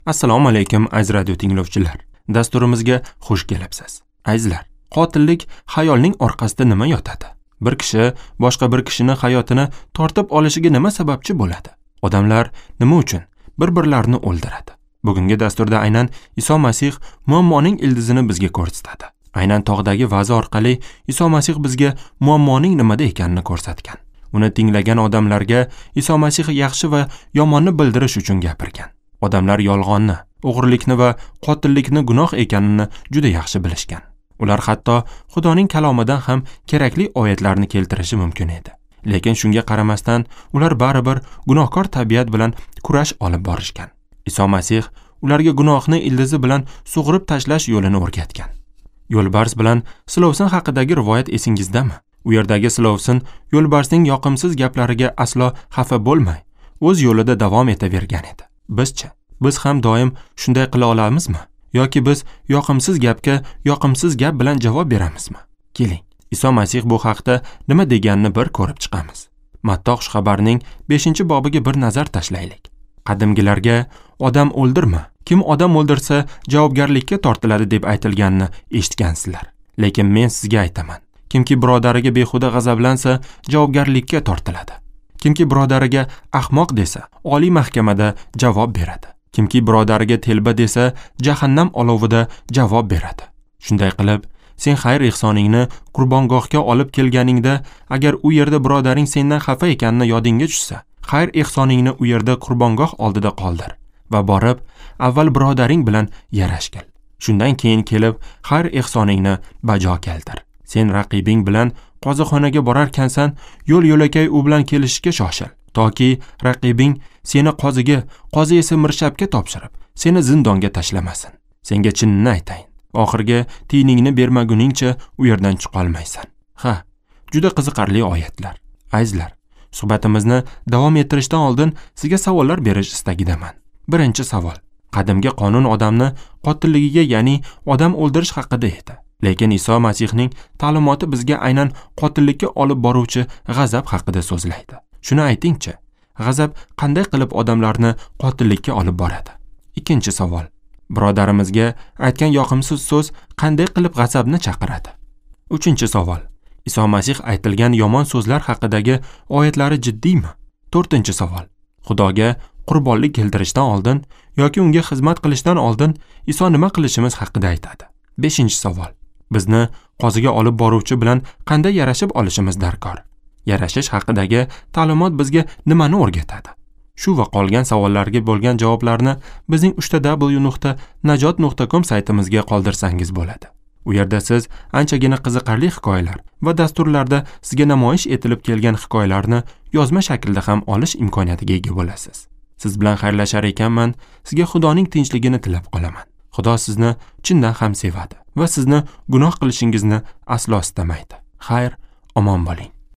Assalomu alaykum aziz radio tinglovchilar. Dasturimizga xush kelibsiz. Azizlar, qotillik xayolning orqasida nima yotadi? Bir kishi boshqa bir kishini hayotini tortib olishiga nima sababchi bo'ladi? Odamlar nima uchun bir-birlarini o'ldiradi? Bugungi dasturda aynan Iso Masih muammoning ildizini bizga ko'rsatadi. Aynan tog'dagi va'zi orqali Iso Masih bizga muammoning nimada ekanini ko'rsatgan. Uni tinglagan odamlarga Iso Masih yaxshi va yomonni bildirish uchun gapirgan. Odamlar yolg'onni, o'g'rilikni va qotillikni gunoh ekanini juda yaxshi bilishgan. Ular hatto Xudoning kalomidan ham kerakli oyatlarni keltirishi mumkin edi. Lekin shunga qaramasdan ular baribir gunohkor tabiat bilan kurash olib borishgan. Iso Masih ularga gunohni ildizi bilan sug'urib tashlash yo'lini o'rgatgan. Yo'lbars bilan silovsin haqidagi rivoyat esingizdami? U yerdagi silovsin yo'lbarsning yoqimsiz gaplariga aslo xafa bo'lmay, o'z yo'lida davom etavergan edi. Bizchi, biz ham doim shunday qila olamizmi? Yoki biz yoqimsiz gapga yoqimsiz gap bilan javob beramizmi? Keling, Iso Masih bu haqda nima deganini bir ko'rib chiqamiz. Matto xushxabarning 5-bobiga bir nazar tashlaylik. Qadimgilarga odam o'ldirma, kim odam o'ldirsa javobgarlikka tortiladi deb aytilganini eshitgansizlar. Lekin men sizga aytaman, kimki birodariga behuda g'azablansa javobgarlikka tortiladi. Kimki birodariga ahmoq desa, oliy mahkamada javob beradi. Kimki birodariga telba desa, jahannam olovida javob beradi. Shunday qilib, sen xayr-ehsoningni qurbongohga olib kelganingda, agar u yerda birodaring sendan xafa ekanini yodingga tushsa, xayr-ehsoningni u yerda qurbongoh oldida qoldir va borib, avval birodaring bilan yarashgil. Shundan keyin kelib, xayr-ehsoningni bajo keltir. Sen raqibing bilan qozixonaga borarkansan, yo'l-yo'lakay u bilan kelishishga shoshil, toki raqibing seni qoziga, qozi esa mirshabga topshirib, seni zindonga tashlamasin. Senga chinini aytayin, oxirgi tiyiningni bermaguningcha u yerdan chiqa olmaysan. Ha, juda qiziqarli oyatlar. Azizlar, suhbatimizni davom ettirishdan oldin sizga savollar berish istagidaman. Birinchi savol. Qadimgi qonun odamni qotilligiga, ya'ni odam o'ldirish haqida edi. Lekin Iso Masihning ta'limoti bizga aynan qotillikka olib boruvchi g'azab haqida so'zlaydi. Shuni aytingchi, g'azab qanday qilib odamlarni qotillikka olib boradi? Ikkinchi savol. Birodarimizga aytgan yoqimsiz so'z qanday qilib g'azabni chaqiradi? Uchinchi savol. Iso Masih aytilgan yomon so'zlar haqidagi oyatlari jiddiymi? To'rtinchi savol. Xudoga qurbonlik keltirishdan oldin yoki unga xizmat qilishdan oldin Iso nima qilishimiz haqida aytadi? Beshinchi savol. Bizni qoziga olib boruvchi bilan qanday yarashib olishimiz darkor? Yarashish haqidagi ta'limot bizga nimani o'rgatadi? Shu va qolgan savollarga bo'lgan javoblarni bizning www.najot.com saytimizga qoldirsangiz bo'ladi. U yerda siz anchagina qiziqarli hikoyalar va dasturlarda sizga namoyish etilib kelgan hikoyalarni yozma shaklda ham olish imkoniyatiga ega bo'lasiz. Siz bilan xayrlashar ekanman, sizga Xudoning tinchligini tilab qolaman. Xudo sizni chindan ham sevadi va sizni gunoh qilishingizni aslo istamaydi. Xayr, omon bo'ling.